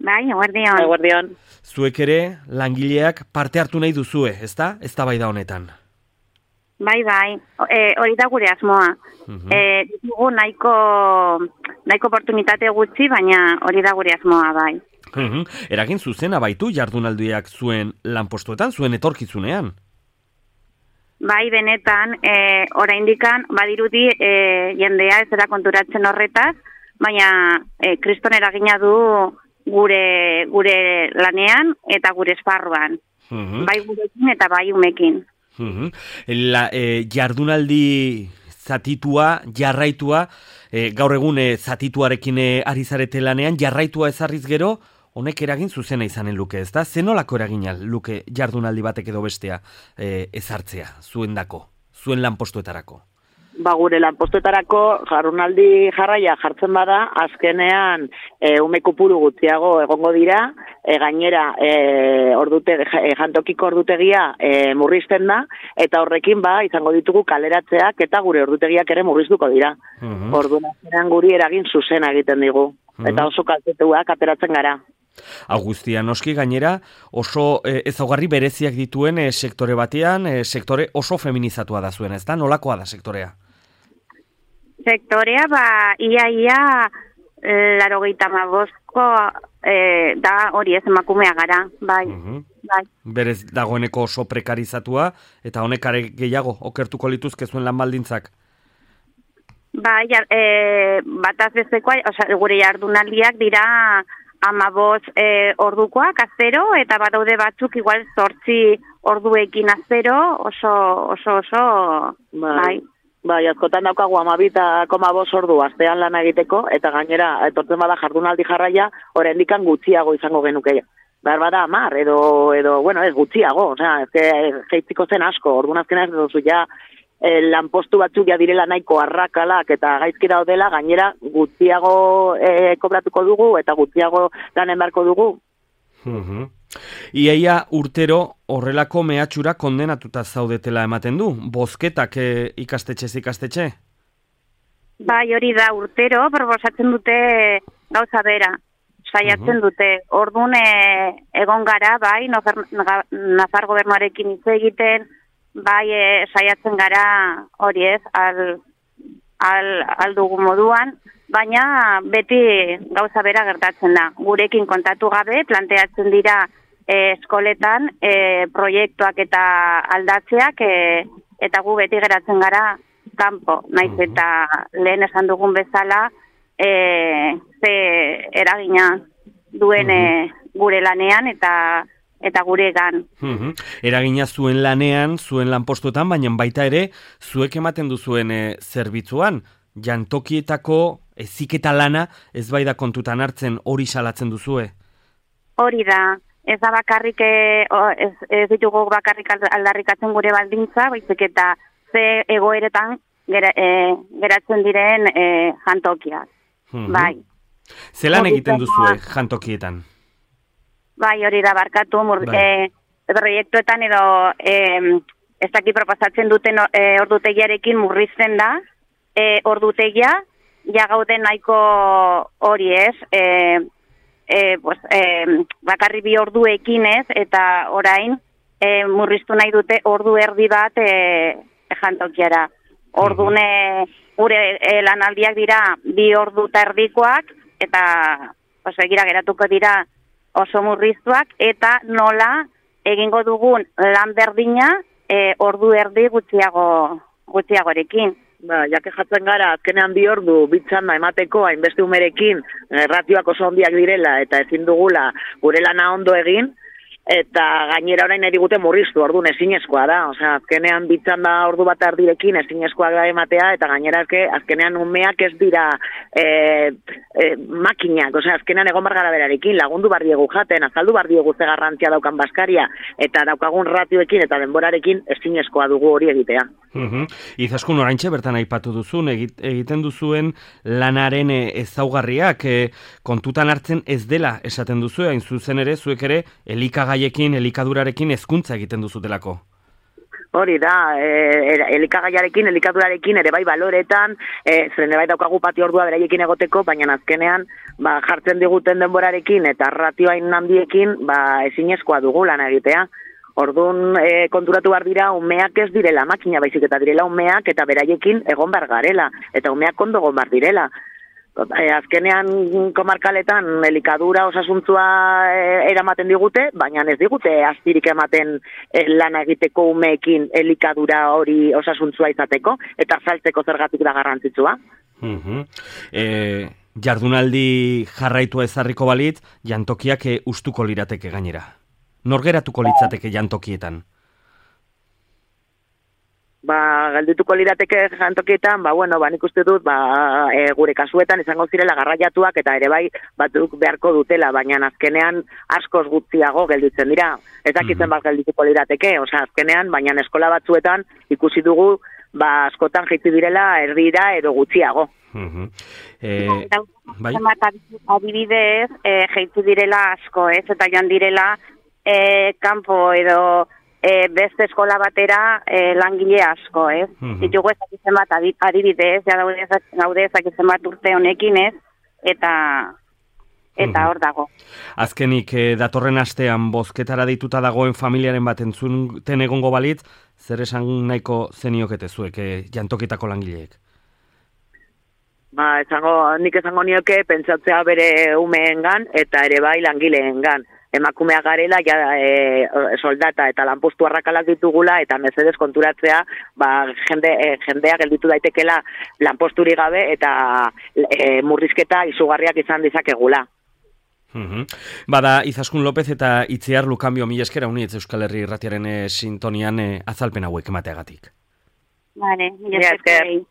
Bai, eguerdion. Eguerdion. Zuek ere langileak parte hartu nahi duzue, ezta? Eztabaida honetan. Bai, hori da gure asmoa. Dugu nahiko oportunitate gutxi, baina hori da gure asmoa, bai. Eragin zuzena baitu jardunaldiak zuen lanpostuetan, zuen etorkizunean? Bai, benetan, oraindikan badirudi jendea ez dela konturatzen horretaz, baina kriston eragina du gure lanean eta gure esparruan. Bai gurekin eta bai umekin. Jardunaldi zatitua, jarraitua, gaur egun zatituarekin ari zarete lanean, jarraitua ezarriz gero, honek eragin zuzena izanen luke, ezta? Zenolako eragina luke jardunaldi batek edo bestea ezartzea, zuendako, zuen lanpostuetarako? Gure lanpostuetarako jardunaldi jarraia jartzen bada, azkenean ume kopuru gutxiago egongo dira, gainera jantokiko ordutegia murrizten da, eta horrekin izango ditugu kaleratzeak eta gure ordutegiak ere murriztuko dira. Orduan guri eragin zuzena egiten digu, eta oso kaltetuak ateratzen gara. Augustia, noski gainera oso ezaugarri bereziak dituen sektore batean, sektore oso feminizatua da zuen, ezta? Nolakoa da sektorea? Sektorea, ia 85ko da hori ez emakumea gara, bai. Berez dagoeneko oso prekarizatua, eta honek are gehiago okertuko lituzke zuen lan baldintzak? Bai, bataz bezekoa, gure jardunaldiak dira 15 ordukoak azero, eta badaude batzuk igual 8 orduekin azero, oso, bai. Bai, askotan daukagu 12,5 ordu astean lana egiteko, eta gainera, etortzen bada jardunaldi jarraia, oraindikan gutxiago izango genuke. Bada 10, edo, bueno, ez gutxiago, jeitziko zen asko, orduan azkena ez duzu ja, lanpostu batzuk ja direla nahiko arrakalak eta gaizki daudela, gainera gutxiago kobratuko dugu eta gutxiago lanen beharko dugu. Iaia urtero horrelako mehatxura kondenatuta zaudetela ematen du, bozketak ikastetxe? Bai, hori da urtero, proposatzen dute gauza bera, saiatzen dute. Orduan egon gara, bai, Nafar gobernuarekin hitz egiten, bai, saiatzen gara hori ez, aldugu moduan, baina beti gauza bera gertatzen da. Gurekin kontatu gabe, planteatzen dira eskoletan proiektuak eta aldatzeak, eta gu beti geratzen gara kanpo. Naiz eta lehen esan dugun bezala, ze eragina duen gure lanean eta guregan. Eragina zuen lanean, zuen lanpostuetan, baina baita ere, zuek ematen duzuen zerbitzuan, jantokietako heziketa lana ez bai da kontutan hartzen, hori salatzen duzue? Hori da, ez da bakarrik, ez ditugu bakarrik aldarrikatzen gure baldintza, baizik eta ze egoeretan geratzen diren jantokiak. Bai. Zelan egiten duzue jantokietan? Bai, hori da, barkatu, proiektuetan edo ez dakit proposatzen duten ordutegiarekin murrizten da, ordutegia, ja gauden nahiko hori ez, bakarri 2 orduekin ez, eta orain murriztu nahi dute ordu erdi bat jantokiara. Orduan gure lanaldiak dira 2 ordu eta erdikoak, eta egira geratuko dira oso murriztuak, eta nola egingo dugun lan berdina ordu erdi gutxiagorekin. Jake jatzen gara, azkenean 2 ordu bitzanda emateko, hainbeste umerekin, ratioak oso ondiak direla, eta ezin dugula gure lana ondo egin, eta gainera orain erigute murriztu, orduan ezinezkoa da, azkenean bitzanda ordu bat ardirekin ezinezkoa da ematea, eta gainera azkenean umeak ez dira makinak, azkenean egon bargara berarekin, lagundu bardiegu jaten, azaldu bardiegu ze garrantzia daukan baskaria, eta daukagun ratioekin eta denborarekin ezinezkoa dugu hori egitea. Izaskun oraintxe bertan aipatu duzun, egiten duzuen lanaren ezaugarriak kontutan hartzen ez dela esaten duzu, hain zuzen ere, zuek ere elikagaiekin, elikadurarekin hezkuntza egiten duzutelako. Hori da, elikagaiarekin, elikadurarekin, ere bai baloretan, zeren bai daukagu patio ordua beraiekin egoteko, baina azkenean jartzen diguten denborarekin eta ratioain handiekin ezinezkoa dugu lan egitea. Orduan konturatu behar dira, umeak ez direla makina, baizik eta direla umeak eta beraiekin egon behar garela, eta umeak ondo egon behar direla. Azkenean komarkaletan elikadura osasuntzua eramaten digute, baina ez digute astirik ematen lana egiteko umeekin elikadura hori osasuntzua izateko, eta saltzeko zergatik da garrantzitsua. Jardunaldi jarraitua ezarriko balitz, jantokiak ustuko lirateke gainera. Norgeratuko litzateke jantokietan? Geldituko lirateke jantokietan, nik uste dut, gure kasuetan izango zirela garraiatuak eta ere bai batzuk beharko dutela, baina azkenean askoz gutxiago gelditzen dira. Ez dakitzen bat geldituko lirateke, azkenean, baina eskola batzuetan ikusi dugu, askotan jaitsi direla erdira edo gutxiago. Adibidez, jaitsi direla asko, eta joan direla kanpo edo beste eskola batera langile asko, ez? Ditugu ezakitzen bat adibidez, gaude ezakitzen bat urte honekin, ez? Eta hor dago. Azkenik, datorren astean bozketara dituta dagoen familiaren bat entzuten egongo balitz, zer esan nahiko zeniokete zuek jantokitako langileek? Nik esango nioke pentsatzea bere umeengan eta ere bai langileengan. Emakumea garela, soldata eta lanpostu arrakalak ditugula, eta mesedez konturatzea, jendea gelditu daitekela lanposturi gabe, eta murrizketa izugarriak izan dizakegula. Bada, Izaskun López eta Itziar Lukanbio, mila esker unietz Euskal Herri Irratiaren sintonian azalpen hauek emateagatik. Vale, mila esker.